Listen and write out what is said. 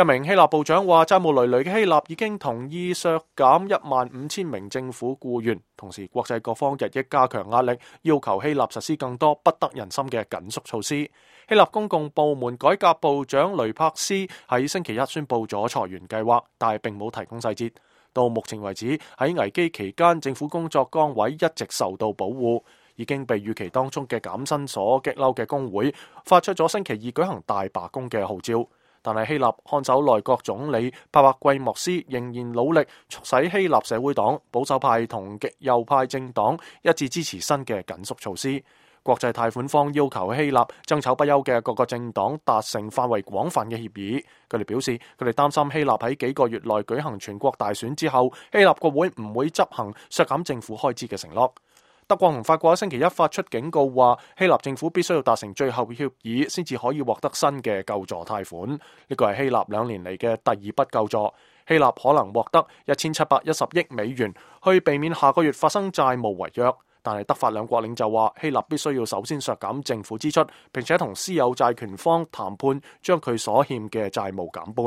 一名希臘部長話，債務累累嘅希臘已經同意削減15000名政府僱員，同時國際各方日益加強壓力，要求希臘實施更多不得人心嘅緊縮措施。希臘公共部門改革部長雷柏斯喺星期一宣布咗裁員計劃，但係並冇提供細節。到目前為止，喺危機期間，政府工作崗位一直受到保護。已經被預期當中嘅減薪所激嬲嘅工會發出咗星期二舉行大罷工嘅號召。但係希臘看守內閣總理帕帕季莫斯仍然努力促使希臘社會黨、保守派同極右派政黨一致支持新嘅緊縮措施。國際貸款方要求希臘爭吵不休嘅各個政黨達成範圍廣泛嘅協議。佢哋表示，佢哋擔心希臘喺幾個月內舉行全國大選之後，希臘國會唔會執行削減政府開支嘅承諾。德國同法國星期一發出警告，話希臘政府必須要達成最後協議，先至可以獲得新嘅救助貸款。呢個係希臘2年嚟嘅第二筆救助。希臘可能獲得1710億美元，去避免下個月發生債務違約。但係德法兩國領袖話，希臘必須要首先削減政府支出，並且同私有債權方談判，將佢所欠嘅債務減半。